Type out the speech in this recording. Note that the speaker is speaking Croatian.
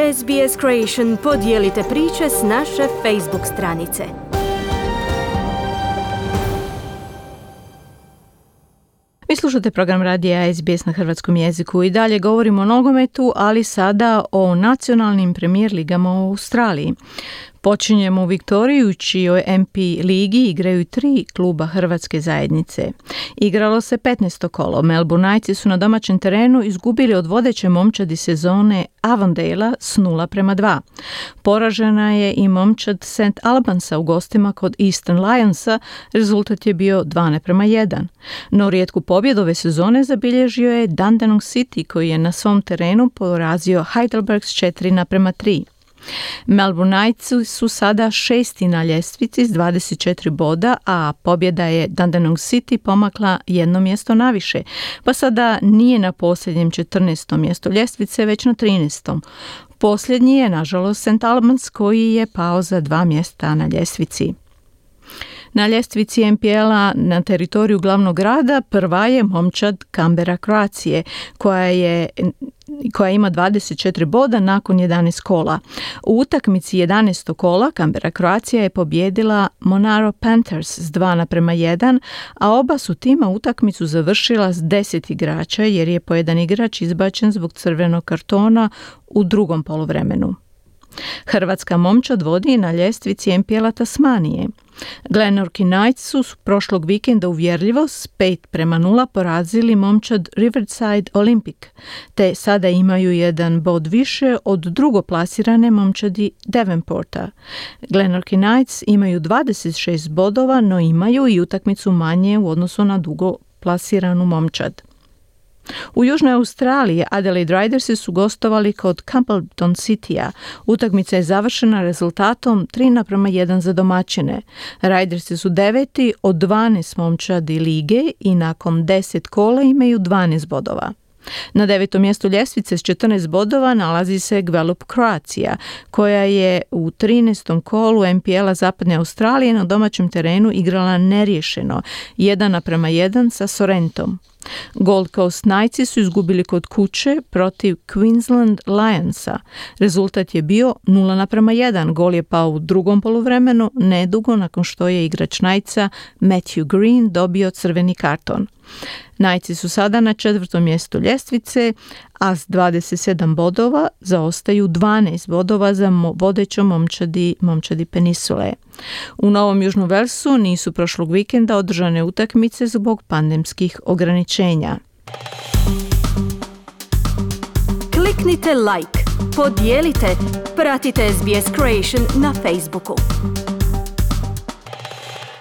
SBS Creation podijelite priče s naše Facebook stranice. Vi slušate program radija SBS na hrvatskom jeziku i dalje govorimo o nogometu, ali sada o nacionalnim premijer ligama u Australiji. Počinjemo u Viktoriji, u čijoj MP ligi igraju 3 kluba hrvatske zajednice. Igralo se 15. kolo. Melbourne Knightsi su na domaćem terenu izgubili od vodeće momčadi sezone Avondale s 0-2. Poražena je i momčad St. Albansa u gostima kod Eastern Lionsa, rezultat je bio 2-1. No rijetku pobjedu ove sezone zabilježio je Dandenong City koji je na svom terenu porazio Heidelberg s 4-3. Melbourne Knightsi su sada 6. na ljestvici s 24 boda, a pobjeda je Dandenong City pomakla jedno mjesto naviše, pa sada nije na posljednjem 14. mjestu ljestvice, već na 13. Posljednji je, nažalost, St. Albans koji je pao za 2 mjesta na ljestvici. Na ljestvici MPL-a na teritoriju glavnog grada prva je momčad Canberra Croatie koja ima 24 boda nakon 11 kola. U utakmici 11. kola Canberra Croatie je pobijedila Monaro Panthers s 2-1, a oba su tima utakmicu završila s 10 igrača jer je po jedan igrač izbačen zbog crvenog kartona u drugom poluvremenu. Hrvatska momčad vodi na ljestvici MPL-a Tasmanije. Glenorchy Knights su prošlog vikenda uvjerljivo s 5-0 porazili momčad Riverside Olympic, te sada imaju jedan bod više od drugoplasirane momčadi Devonporta. Glenorchy Knights imaju 26 bodova, no imaju i utakmicu manje u odnosu na drugoplasiranu momčad. U Južnoj Australiji Adelaide Ridersi su gostovali kod Campbellton Citya. Utakmica je završena rezultatom 3-1 za domaćine. Ridersi su 9. od 12 momčadi lige i nakon 10 kola imaju 12 bodova. Na 9. mjestu ljestvice s 14 bodova nalazi se Gwelup Croatia, koja je u 13. kolu MPL-a Zapadne Australije na domaćem terenu igrala neriješeno 1-1 sa Sorrentom. Gold Coast Knightsi su izgubili kod kuće protiv Queensland Lionsa. Rezultat je bio 0-1. Gol je pao u drugom poluvremenu, nedugo nakon što je igrač Knightsa Matthew Green dobio crveni karton. Knightsi su sada na 4. mjestu ljestvice, a s 27 bodova zaostaju 12 bodova za vodećom momčadi Peninsule. U Novom Južnom Velsu nisu prošlog vikenda održane utakmice zbog pandemskih ograničenja. Kliknite like, podijelite, pratite SBS Creation na Facebooku.